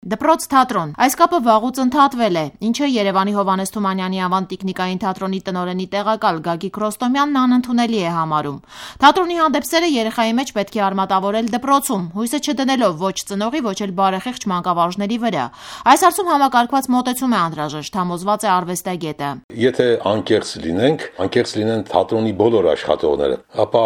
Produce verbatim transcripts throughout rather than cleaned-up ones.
Դպրոց թատրոն։ Այս կապը վաղուց ընդհատվել է, ինչը Երևանի Հովհաննես Թումանյանի անվան տիկնիկային թատրոնի տնօրենի տեղակալ Գագիկ Ռոստոմյանն անընդունելի է համարում։ Թատրոնի հանդեպ սերը երեխայի մեջ պետք է արմատավորել դպրոցում, հույսը չդնելով ոչ ծնողի, ոչ էլ բարեխիղճ մանկավարժների վրա։ Այս հարցում համակարգված մոտեցում է անհրաժեշտ, համոզված է արվեստագետը։ Եթե անկեղծ լինենք, անկեղծ լինեն թատրոնի բոլոր աշխատողները, ապա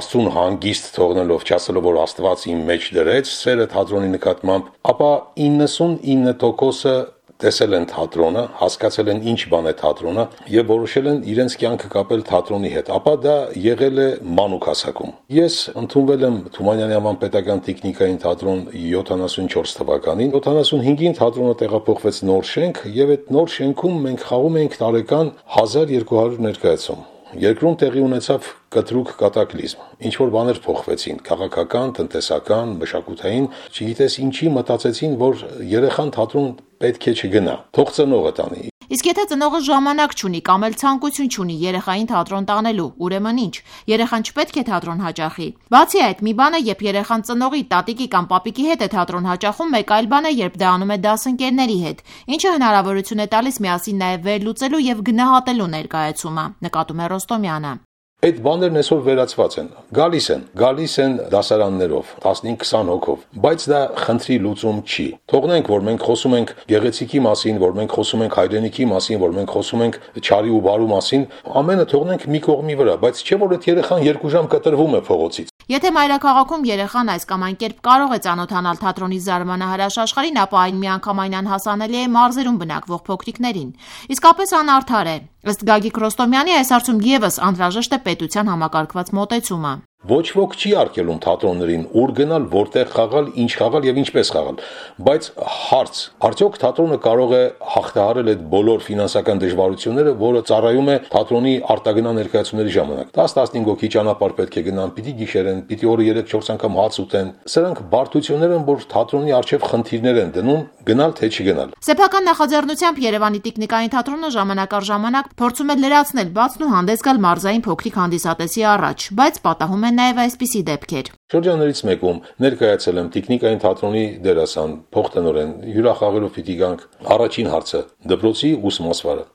Աստծուն հանգիստ թողնելով, չասելով, որ Աստված իմ մեջ դրեց սերը թատրոնի նկատմամբ, ապա իննսունինը տոկոսը տեսել են թատրոնը, հասկացել են ինչ բան է թատրոնը եւ որոշել են իրենց կյանքը կապել թատրոնի հետ, ապա դա եղել է մանուկ հասակում։ Ես ընդունվել եմ Թումանյանի անվան պետական տեխնիկային թատրոն յոթանասունչորս թվականին, յոթանասունհինգին թատրոնը տեղափոխվեց նոր շենք եւ այդ նոր շենքում մենք խաղում էինք տարեկան հազար երկու հարյուր ներկայացում։ Երկրում տեղի ունեցավ կտրուկ կատակլիզմ, ինչ որ բաներ փոխվեցին, քաղաքական, տնտեսական, մշակութային, չգիտես ինչի մտածեցին, որ երեխան թատրոն պետք է չգնա, թող ծնողը տանի։ Իսկ եթե ծնողը ժամանակ չունի կամ էլ ցանկություն չունի երեխային թատրոն տանելու, ուրեմն ինչ, երեխան չպետք է թատրոն հաճախի։ Բացի այդ, մի բան է, երբ երեխան ծնողի, տատիկի կամ պապիկի հետ է թատրոն հաճախում, մեկ այլ բան է, երբ դա անում է դասընկերների հետ, ինչը հնարավորություն է տալիս միասին նաև վերլուծելու եւ գնահատելու ներկայացումը, նկատում է Ռոստոմյանը։ Այդ բաներն այսօր վերացված են, գալիս են, գալիս են դասարաններով, տասնհինգ քսան հոգով, բայց դա խնդրի լուծում չի։ Թողնենք, որ մենք խոսում ենք գեղեցիկի մասին, որ մենք խոսում ենք հայրենիքի մասին, որ մենք խոսում ենք չարի ու բարու մասին, ամենը թողնենք մի կողմի վրա, բայց չէ որ այդ երեխան երկու ժամ կտրվում է փողոցից։ Եթե մայրաքաղաքում երեխան այս կամ այն կերպ կարող է ծանոթանալ թատրոնի զարմանահրաշ աշխարհին, ապա այն միանգամայն անհասանելի է մարզերում բնակվող փոքրիկներին։ Իսկապես անարդար է։ Ըստ Գագիկ Ռոստոմյանի այս հարցում եւս անհրաժեշտ է պետության համակարգված մոտեցումը։ Ոչ ոք չի արգելում թատրոններին ուր գնալ, որտեղ խաղալ, ինչ խաղալ եւ ինչպես խաղալ, բայց հարց, արդյոք թատրոնը կարող է հաղթահարել այդ բոլոր ֆինանսական դժվարությունները, որը ծառայում է թատրոնի արտագնա ներկայացումների ժամանակ։ դաս տասնհինգ հոգի ճանապարհ պետք է գնան, պիտի գիշերեն, պիտի օրը երեք չորս անգամ հաց ուտեն։ Սրանք բարդություններ են, որ թատրոնի առջև խնդիրներ են դնում, գնալ թե չգնալ։ Սեփական նախաձեռնությամբ Երևանի տիկնիկային թատրոնը ժամանակ առ ժամանակ փորձում է լրացնել բացն ու հանդես գալ մարզային փոքրիկ հանդիսատեսի առաջ, բայց պատահում են նաև այսպիսի դեպքեր։ Շրջաններից մեկում ներկայացել եմ տեխնիկային թատրոնի դերասան, փոխտնօրեն, հյուրախաղերով պիտի գանք։ Առաջին հարցը՝ դպրոցի ուսմասվարը։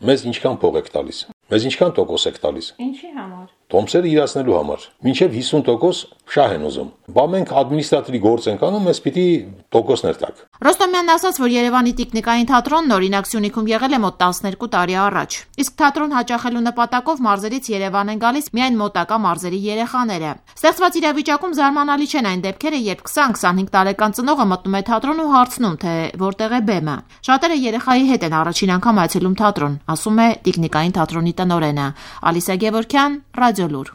Մեզ ինչքան փող եք տալիս։ Մեզ ինչքան տոկոս եք տալիս։ Ինչի համար։ Տոմսերը իրացնելու համար։ Մինչև հիսուն տոկոս շահ են ուզում։ Բա մենք ադմինիստրատորի գործ ենք անում, մեզ պիտի տոկոսներ տակ։ Ռոստոմյանն ասաց, որ Երևանի տիկնիկային թատրոնն օրինակ Սյունիքում եղել է մոտ տասներկու տարի առաջ։ Իսկ թատրոն հաճախելու նպատակով մարզերից Երևան են գալիս միայն մոտակա մարզերի երեխաները։ Ստեղծված իրավիճակում զարմանալի չեն այն դեպքերը, երբ քսան քսանհինգ տարեկան ծնողը մտնում է թատրոն ու հարցնում, թե որտեղ է բեմը։ Շատերը երեխայի հետ են առաջին անգամ այցելում թատրոն, ասում է տիկնիկային թատրոնի տնօրենը։ Ալիսա Գևորգյան, Ռադիոլուր։